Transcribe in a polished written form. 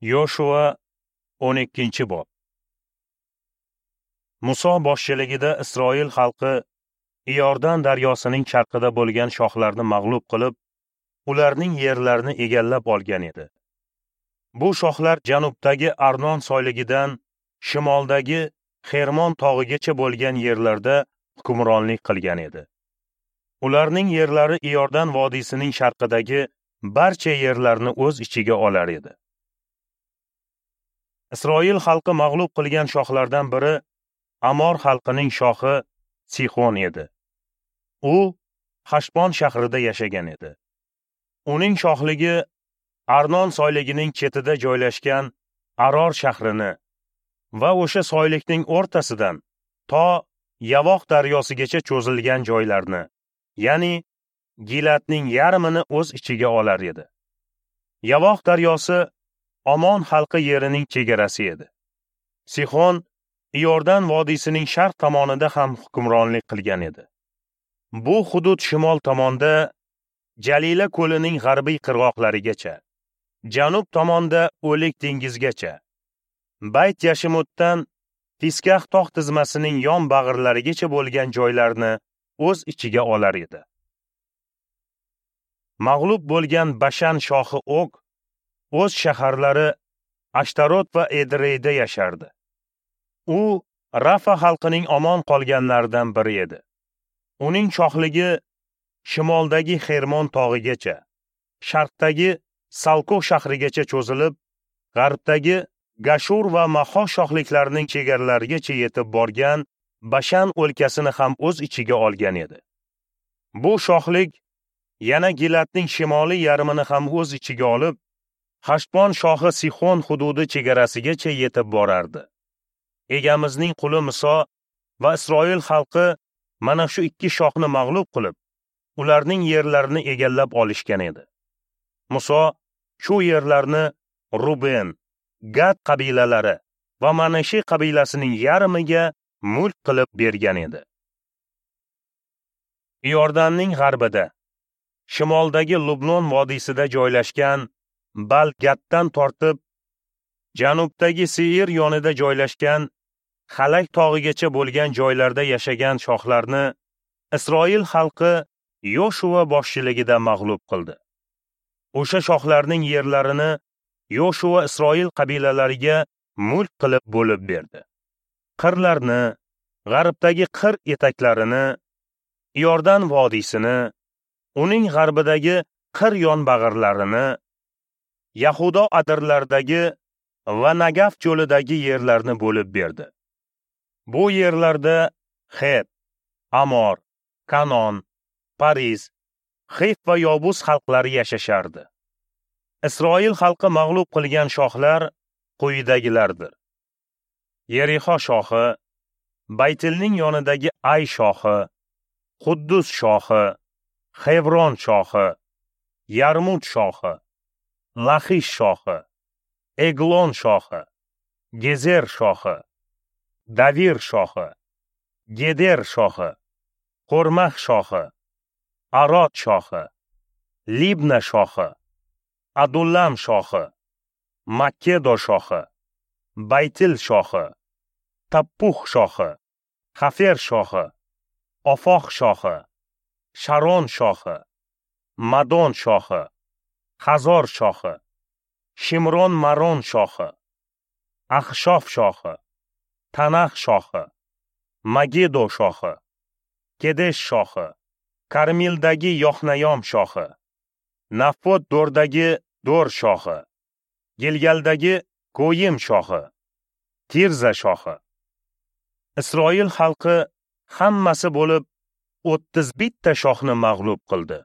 Yoshua 12-bob. Muso boshchiligida Isroil xalqi Iordan daryosining sharqida bo'lgan shohlarni mag'lub qilib, ularning yerlarini egallab olgan edi. Bu shohlar janubdagi Arnon soyligidan shimoldagi Xermon tog'igacha bo'lgan yerlarda hukmronlik qilgan edi. Ularning yerlari Iordan vodiysining sharqidagi barcha yerlarni o'z ichiga olar edi. Isroil xalqi mag'lub qilgan shohlardan biri Amor xalqining shohi Sixon edi. U Hashbon shahrida yashagan edi. Uning shohligi Arnon soyligining chetida joylashgan Aror shahrini va o'sha soylikning o'rtasidan to Yavoq daryosigacha cho'zilgan joylarni, ya'ni Gilatning yarmini o'z ichiga olar edi. Yavoq daryosi Omon xalqi yerining chegarasi edi. Sixon Iordan vodiysining sharq tomonida ham hukmronlik qilgan edi. Bu hudud shimol tomonda Jalila ko'lining g'arbiy qirg'oqlarigacha, janub tomonda O'lik dengizgacha, Bayt Yashimutdan Fiskah tog' tizmasining yon bag'irlarigacha bo'lgan joylarni o'z ichiga olar edi. Mag'lub bo'lgan Bashan shohi Og o'z shaharlari Ashtarot va Edreyda yashardi. U Rafa xalqining omon qolganlaridan biri edi. Uning shohligi shimoldagi Xermon tog'igacha, sharqdagi Salko shahrigacha cho'zilib, g'arbdagi Gashur va Maho shohliklarining chegaralarigacha yetib borgan Bashan o'lkasini ham o'z ichiga olgan edi. Bu shohlik yana Gilatning shimoliy yarmini ham o'z ichiga olib, Hashbon shohi Sixon hududi chegarasigacha yetib borardi. Egamizning quli Muso va Isroil xalqi mana shu ikki shohni mag'lub qilib, ularning yerlarini egallab olishgan edi. Muso shu yerlarni Ruben, Gad qabilalari va Manashi qabilasining yarmiga mulk qilib bergan edi. Iordanning g'arbida, shimoldagi Lubnon vodiysida joylashgan Bal-Gaddan tortib, janubdagi Seir yonida joylashgan Halak tog'igacha bo'lgan joylarda yashagan shohlarni Isroil xalqi Yoshua boshchiligida mag'lub qildi. O'sha shohlarning yerlarini Yoshua Isroil qabilalariga mulk qilib bo'lib berdi. Qirlarni, g'arbdagi qir etaklarini, Iordan vodiysini, uning g'arbidagi qir yonbag'irlarini, Yahudo adirlaridagi va Nagaf cho'lidagi yerlarni bo'lib berdi. Bu yerlarda Het, Amor, Kanon, Pariz, Xif va Yobus xalqlari yashashardi. Isroil xalqi mag'lub qilgan shohlar quyidagilardir: Yerixo shohi, Baytilning yonidagi Ay shohi, Quddus shohi, Xevron shohi, Yarmut shohi, Laxish shohi, Eglon shohi, Gezer shohi, Davir shohi, Geder shohi, Qo'rmah shohi, Arod shohi, Libna shohi, Adullam shohi, Makkedo shohi, Baytil shohi, Tappuh shohi, Xafer shohi, Ofoq shohi, Sharon shohi, Madon shohi, Hazor shohi, Shimron Maron shohi, Axshof shohi, Tanax shohi, Magedo shohi, Kedesh shohi, Karmildagi Yohnayom shohi, Nafot Dordagi Dor shohi, Gilgaldagi Goyim shohi, Tirza shohi. Isroil xalqi hammasi bo'lib 31 ta shohni mag'lub qildi.